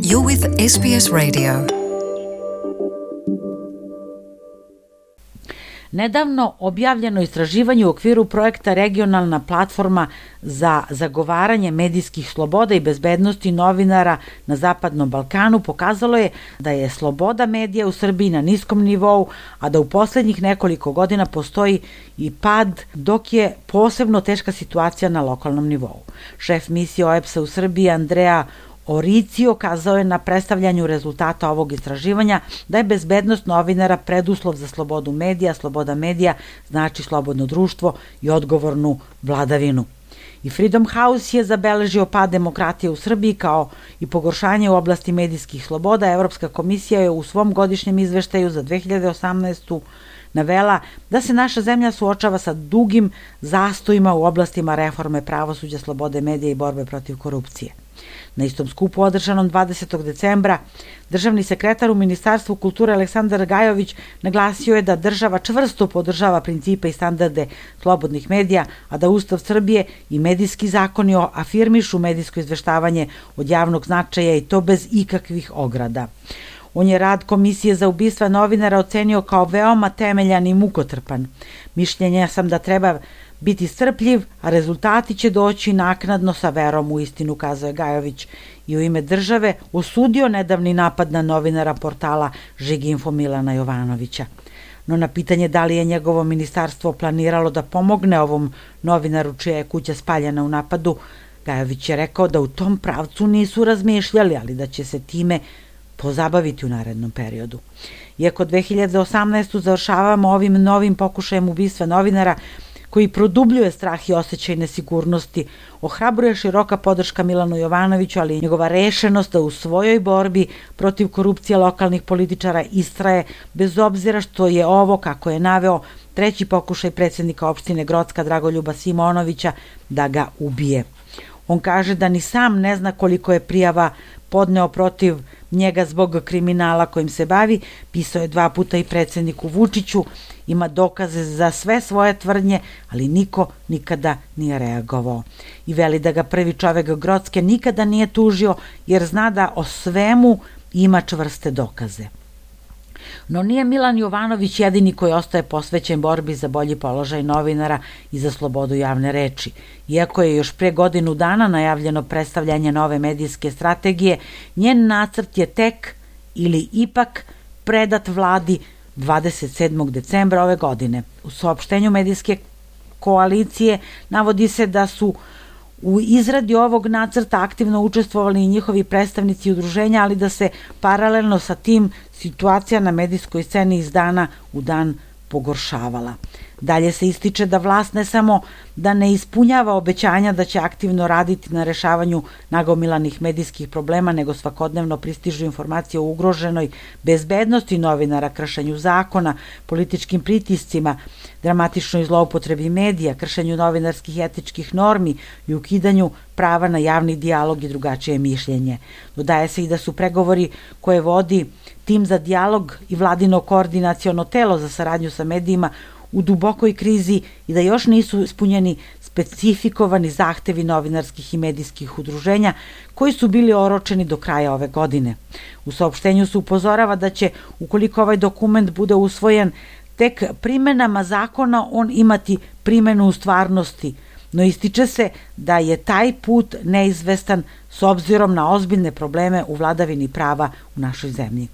You're with SBS Radio. Nedavno objavljeno istraživanje u okviru projekta Regionalna platforma za zagovaranje medijskih sloboda i bezbednosti novinara na Zapadnom Balkanu pokazalo je da je sloboda medija u Srbiji na niskom nivou, a da u poslednjih nekoliko godina postoji i pad, dok je posebno teška situacija na lokalnom nivou. Šef misije OEBS-a u Srbiji Andrea Oricio kazao je na predstavljanju rezultata ovog istraživanja da je bezbednost novinara preduslov za slobodu medija, sloboda medija znači slobodno društvo i odgovornu vladavinu. I Freedom House je zabeležio pad demokratije u Srbiji kao i pogoršanje u oblasti medijskih sloboda. Evropska komisija je u svom godišnjem izveštaju za 2018. navela da se naša zemlja suočava sa dugim zastojima u oblastima reforme pravosuđa, slobode medija i borbe protiv korupcije. Na istom skupu održanom 20. decembra državni sekretar u Ministarstvu kulture Aleksandar Gajović naglasio je da država čvrsto podržava principe i standarde slobodnih medija, a da Ustav Srbije i medijski zakoni afirmišu medijsko izveštavanje od javnog značaja i to bez ikakvih ograda. On je rad Komisije za ubistva novinara ocenio kao veoma temeljan i mukotrpan. Mišljenja sam da treba biti strpljiv, a rezultati će doći naknadno, sa verom u istinu, kazao je Gajović i u ime države osudio nedavni napad na novinara portala Žiginfo Milana Jovanovića. No na pitanje da li je njegovo ministarstvo planiralo da pomogne ovom novinaru čija je kuća spaljena u napadu, Gajović je rekao da u tom pravcu nisu razmišljali, ali da će se time pozabaviti u narednom periodu. Iako 2018. završavamo ovim novim pokušajem ubistva novinara, koji produbljuje strah i osjećaj nesigurnosti, ohrabruje široka podrška Milanu Jovanoviću, ali i njegova rešenost da u svojoj borbi protiv korupcije lokalnih političara istraje, bez obzira što je ovo, kako je naveo, treći pokušaj predsjednika opštine Grocka Dragoljuba Simonovića da ga ubije. On kaže da ni sam ne zna koliko je prijava podneo protiv njega zbog kriminala kojim se bavi, pisao je 2 puta i predsjedniku Vučiću, ima dokaze za sve svoje tvrdnje, ali niko nikada nije reagovao. I veli da ga prvi čovek Grocke nikada nije tužio jer zna da o svemu ima čvrste dokaze. No nije Milan Jovanović jedini koji ostaje posvećen borbi za bolji položaj novinara i za slobodu javne reči. Iako je još pre godinu dana najavljeno predstavljanje nove medijske strategije, njen nacrt je tek ili ipak predat vladi 27. decembra ove godine. U saopštenju medijske koalicije navodi se da su u izradi ovog nacrta aktivno učestvovali i njihovi predstavnici udruženja, ali da se paralelno sa tim situacija na medijskoj sceni iz dana u dan pogoršavala. Dalje se ističe da vlast ne samo da ne ispunjava obećanja da će aktivno raditi na rešavanju nagomilanih medijskih problema, nego svakodnevno pristižu informacije o ugroženoj bezbednosti novinara, kršenju zakona, političkim pritiscima, dramatičnoj zloupotrebi medija, kršenju novinarskih i etičkih normi i ukidanju prava na javni dijalog i drugačije mišljenje. Dodaje se i da su pregovori koje vodi tim za dijalog i vladino koordinaciono telo za saradnju sa medijima u dubokoj krizi i da još nisu ispunjeni specifikovani zahtevi novinarskih i medijskih udruženja koji su bili oročeni do kraja ove godine. U saopštenju se upozorava da će, ukoliko ovaj dokument bude usvojen, tek primenama zakona on imati primenu u stvarnosti, no ističe se da je taj put neizvestan s obzirom na ozbiljne probleme u vladavini prava u našoj zemlji.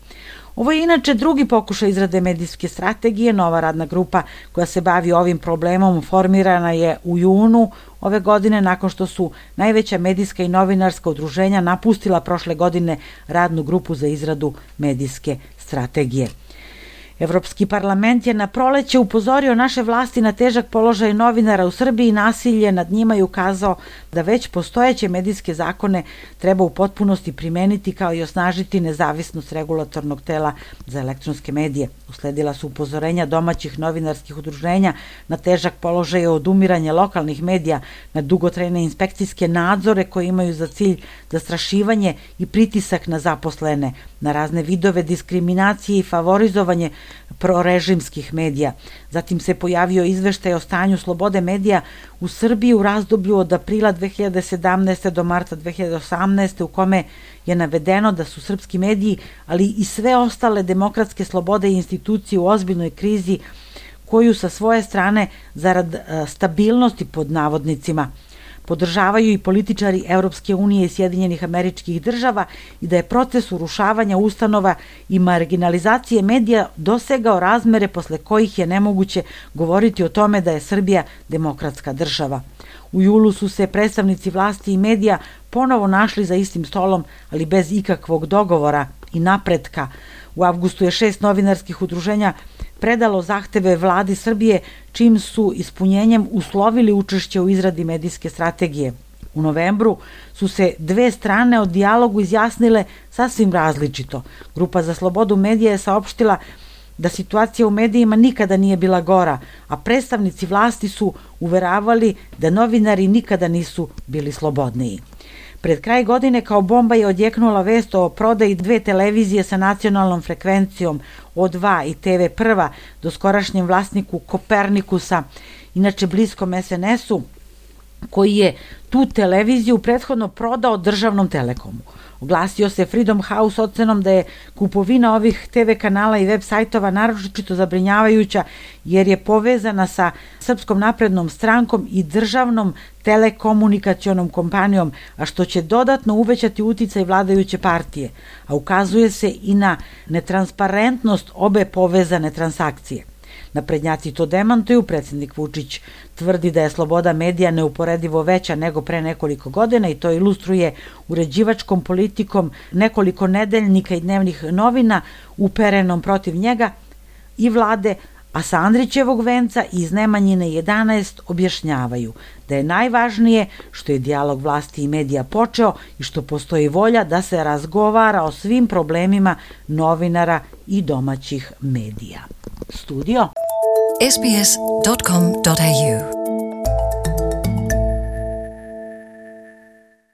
Ovo je inače drugi pokušaj izrade medijske strategije. Nova radna grupa koja se bavi ovim problemom formirana je u junu ove godine nakon što su najveća medijska i novinarska udruženja napustila prošle godine radnu grupu za izradu medijske strategije. Evropski parlament je na proleće upozorio naše vlasti na težak položaj novinara u Srbiji i nasilje nad njima i ukazao da već postojeće medijske zakone treba u potpunosti primeniti kao i osnažiti nezavisnost regulatornog tela za elektronske medije. Usledila su upozorenja domaćih novinarskih udruženja na težak položaj odumiranja lokalnih medija, na dugotrajne inspekcijske nadzore koji imaju za cilj zastrašivanje i pritisak na zaposlene, na razne vidove diskriminacije i favorizovanje prorežimskih medija. Zatim se pojavio izveštaj o stanju slobode medija u Srbiji u razdoblju od aprila 2017. do marta 2018. u kome je navedeno da su srpski mediji, ali i sve ostale demokratske slobode i institucije u ozbiljnoj krizi koju sa svoje strane zarad stabilnosti pod navodnicima podržavaju i političari Evropske unije i Sjedinjenih Američkih Država i da je proces urušavanja ustanova i marginalizacije medija dosegao razmere posle kojih je nemoguće govoriti o tome da je Srbija demokratska država. U julu su se predstavnici vlasti i medija ponovo našli za istim stolom, ali bez ikakvog dogovora i napretka. U avgustu je 6 novinarskih udruženja predalo zahteve vladi Srbije, čim su ispunjenjem uslovili učešće u izradi medijske strategije. U novembru su se dve strane o dijalogu izjasnile sasvim različito. Grupa za slobodu medija je saopštila da situacija u medijima nikada nije bila gora, a predstavnici vlasti su uveravali da novinari nikada nisu bili slobodniji. Pred kraj godine kao bomba je odjeknula vest o prodaji 2 televizije sa nacionalnom frekvencijom O2 i TV1 doskorašnjem vlasniku Kopernikusa, inače bliskom SNS-u, koji je tu televiziju prethodno prodao državnom Telekomu. Oglasio se Freedom House ocenom da je kupovina ovih TV kanala i web sajtova naročito zabrinjavajuća jer je povezana sa Srpskom naprednom strankom i državnom telekomunikacionom kompanijom, a što će dodatno uvećati uticaj vladajuće partije, a ukazuje se i na netransparentnost obe povezane transakcije. Naprednjaci to demantuju, predsjednik Vučić tvrdi da je sloboda medija neuporedivo veća nego pre nekoliko godina i to ilustruje uređivačkom politikom nekoliko nedeljnika i dnevnih novina uperenom protiv njega i vlade, a sa Andrićevog venca i iz Nemanjine 11 objašnjavaju da je najvažnije što je dijalog vlasti i medija počeo i što postoji volja da se razgovara o svim problemima novinara i domaćih medija. Studio sbs.com.au